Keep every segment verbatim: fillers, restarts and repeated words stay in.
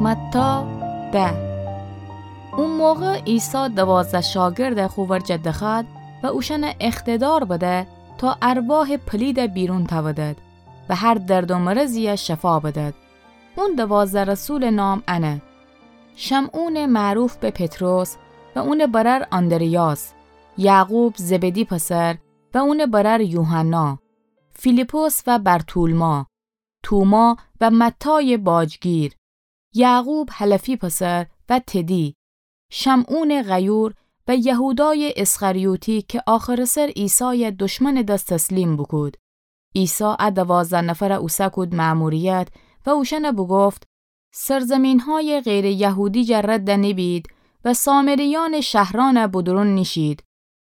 متی ده. او موقع عیسی دوازده شاگردَ خو ورجه دخوأد و اوشأنَ اقتدار بده تا ارواحٚ پلیدَ بیرون تأودد و هر درد و مرضیَ شفا بدد. اون دوازده رسولٚ نام انه: شمعونٚ معروف به پطرس و اونٚ برأر آندریاس، یعقوب زبدی پسر و اونٚ برأر یوحنا، فیلیپس و برتولما، توما و متایٚ باجگیر، یعقوب حلفی پسر و تدی، شمعونٚ غیور و یهودایٚ اسخریوطی که آخرٚ سر عیسایَ دشمنٚ دس تسلیم بوکود. عیسی ا دوازده نفرَ اوسه کود مأموریت و اوشأنَ بوگفت: سرزمین‌هایٚ غیرٚ یهودی جا رد نیبید و سامریأنٚ شهرأنَ بودورون نیشید،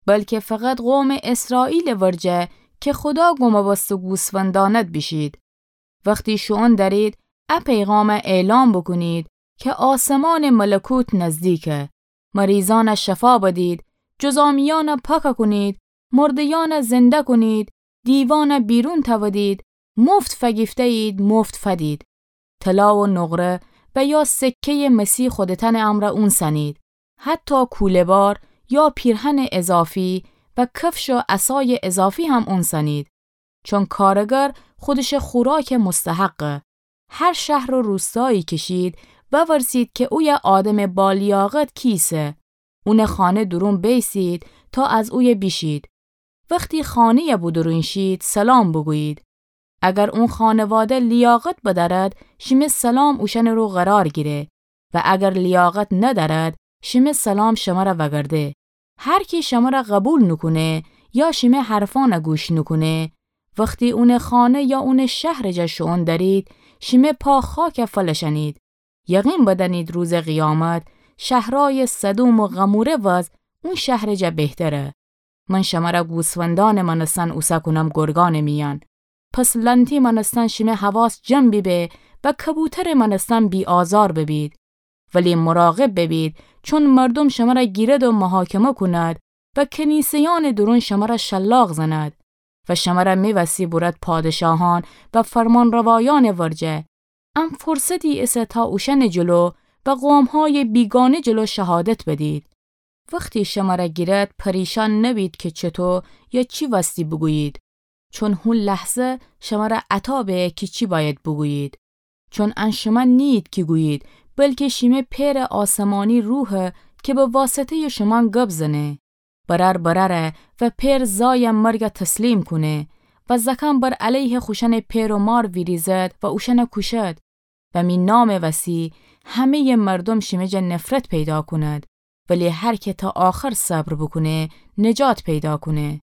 بلکه فقط قومٚ اسرائیلٚ ورجه که خودا گمبست و گوسفندانت بیشید. وختی شوئون درید، ا پیغامَ اعلام بوکونید که آسمانٚ ملکوت نزدیکه. مریضأنَ شفا بدید، جذامیأنَ پاک کونید، مرده‌یأنَ زنده کونید، دیوأنَ بیرون تأودید، مفت فگیفته‌یید، مفت فدید. طلا و نقره و یا سکه‌یٚ مسی خودتأنٚ امرأ اونسأنید، حتی کوله‌بار یا پیرهنٚ اضافی و کفش و عصایٚ اضافی هم اونسأنید، چون کارگر خودشٚ خوراکٚ مستحقه. هر شهر و روستایی که شید، وورسید که اویه آدمٚ بالیاقت کیسه. اونٚ خانه دورون بیسید تا از اویه بیشید. وختی خانه‌یَ بودورون شید، سلام بوگویید. اگر اون خانواده لیاقت بدأرد، شیمه سلام اوشأنٚ رو قرار گیره و اگر لیاقت ندأرد، شیمه سلام شمرَ وگرده. هر کی شمرَ قبول نوکونه یا شیمه حرفأنَ گوش نوکونه، وختی اونٚ خانه یا اونٚ شهرٚ جا شوئون درید، شیمه پا خاکَ فلشأنید. یقین بدأنید روزٚ قیامت شهرأیٚ سدوم و غموره وز اون شهرٚ جا بهتره. من شمرَ گوسفندأنٚ مأنستن اوسه کونم گرگأنٚ میأن. پس لأنتی مأنستن شیمه حواس جمع بیبه و کبوترٚ مأنستن بی‌آزار ببید. ولی مراقب ببید، چون مردوم شمرَ گیرد و محاکمه کوند و کنیسه‌یأنٚ دورون شمرَ شلاق زند و شمرَ می‌وستی بورد پادشاهأن و فرمانروایأنٚ ورجه. ام فرصتی ایسه تا اوشأنٚ جلو و قوم‌هایٚ بیگانه جلو شهادت بدید. وختی شمرَ گیرد، پریشان نبید که چطو یا چی وستی بوگویید، چون هو لحظه شمرَ عطا به کی چی بأید بوگویید. چون ان شمه نیید کی گویید، بلکه شیمه پئرٚ آسمانی روحه که به واسطه‌یٚ شومأن گب زنه. برأر برأره و پئر زایَ مرگَ تسلیم کونه و زأکأن بر علیه خوشأنٚ پئر و مار ویریزد و اوشأنَ کوشد. و می نامٚ وسی همه‌یٚ مردوم شیمه جا نفرت پیدا کوند، ولی هر که تا آخر صبر بوکونه، نجات پیدا کونه.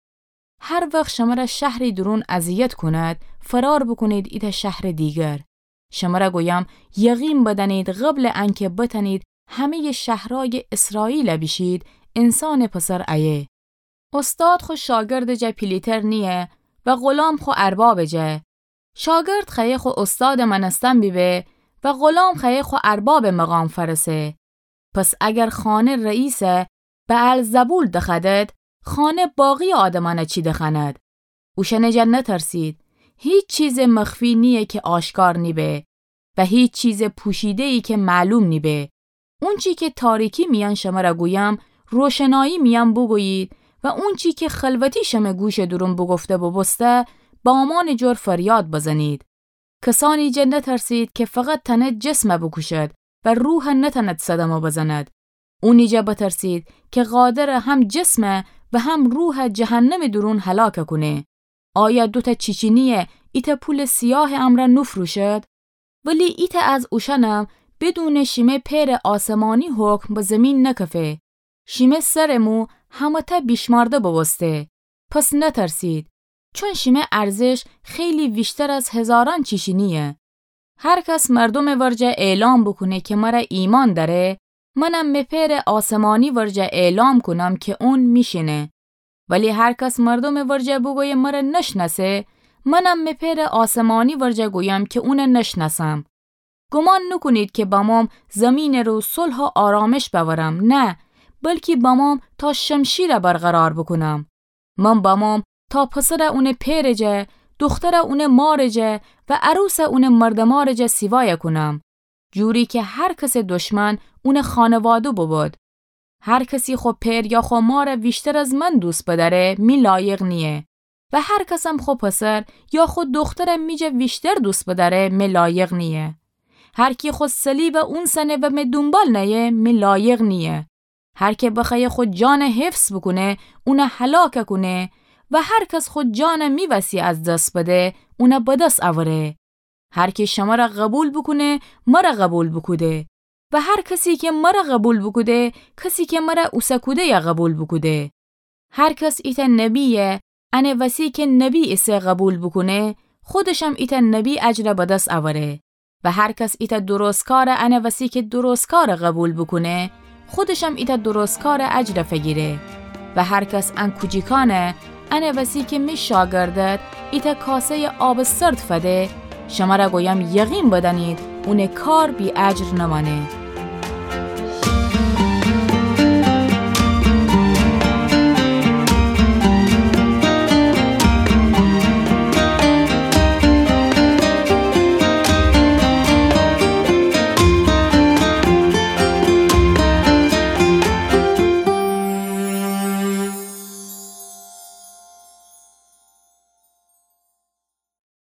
هر وخت شمرَ شهری دورون اذیت کوند، فرار بوکونید ایتأ شهرٚ دیگر. شمرَ گویم، یقین بدأنید، قبلٚ انکه بتأنید همه‌یٚ شهرأیٚ اسرائیلَ بیشید، انسانٚ پسر ایه. استاد خو شاگردٚ جا پیلیتر نییه و غلام خو اربابٚ جا. شاگرد خوأیه خو استادٚ مأنستن بیبه و غلام خوأیه خو اربابٚ مقام فأرسه. پس اگر خانه رئیسَ بعلزبول دخوأدد، خانه باقی‌یٚ آدمأنَ چی دخوأند؟ اوشأنٚ جا نترسید. هیچ چیزٚ مخفی نییه که آشکار نیبه و هیچ چیزٚ پوشیده‌یی که معلوم نیبه. اونچی که تاریکی میأن شمرَ گویم، روشنایی میأن بوگویید و اونچی که خلوتی شمه گوشٚ دورون بوگفته بوبوسته، بامأنٚ جور فریاد بزنید. کسأنی جا نترسید که فقط تأنه جسمَ بوکوشد و روحَ نتأند صدمه بزند. اونی جا بترسید که قادرٚ هم جسمَ و هم روحَ جهنمٚ دورون هلاکَ کونه. آیا دوتأ چیچینی ایتأ پولٚ سیاهٚ امرأ نوفروشد؟ ولی ایتأ از اوشأنم بدونٚ شیمه پئرٚ آسمانی حکم به زیمین نکفه. شیمه سرٚ مو همه‌تأ بیشمأرده بوبوسته. پس نترسید، چون شیمه ارزش خیلی ویشتر از هزارأن چیچینییه. هر کس مردومٚ ورجه اعلام بوکونه که مرَ ایمأن دأره، منم می پئرٚ آسمانی ورجه اعلام کونم که اون می‌شینه. ولی هر کس مردومٚ ورجه بوگویه مرَ نشنأسه، منم می پئرٚ آسمانی ورجه گویم که اونَ نشنأسم. گومان نوکونید که بموم زیمینٚ رو صلح و آرامش بأورم، نه، بلکی بموم تا شمشیرَ برقرار بوکونم. من بموم تا پسرَ اونٚ پئرٚ جا، دوخترَ اونٚ مارٚ جا و عروسَ اونٚ مردٚ مارٚ جا سیوایَ کونم. جوری کی هر کسٚ دشمن اونٚ خانوادو ببود. هر کسی خو پئر یا خو مارَ ویشتر از من دوست بدأره، می لایق نییه. و هر کسم خو پسر یا خو دخترَ می جا ویشتر دوست بدأره، می لایق نییه. هر کی خو صلیبَ اونسأنه و می دونبال نأیه، می لایق نییه. هر کی بخوأیه خو جانَ حفظ بوکونه، اونَ هلاک کونه، و هر کس خو جانَ می وسی از دس بده، اونَ بدس اوره. هر کی شمره قوبیل بوکونه، مره قوبیل بوکوده. و هر کسی کی مره قوبیل بوکوده، کسی کی مره اوسه کوده‌یَ قوبیل بوکوده. هر کس ایتأ نبییَ انه وسی کی نبی ایسه قوبیل بوکونه، خودشم ایتأ نبی اجرَ بدس اوره. و هر کس ایتأ درستکارَ انه وسی کی درستکارَ قوبیل بوکونه، خودشم ایتأ درستکارٚ اجرَ فیگیره. و هر کس ان کوجیکأنَ انه وسی کی می شاگردَ ایتأ کاسه‌یٚ آبٚ سرد فده، شمره گویم یقین بدأنید، اونٚ کار بی‌اجر نمأنه.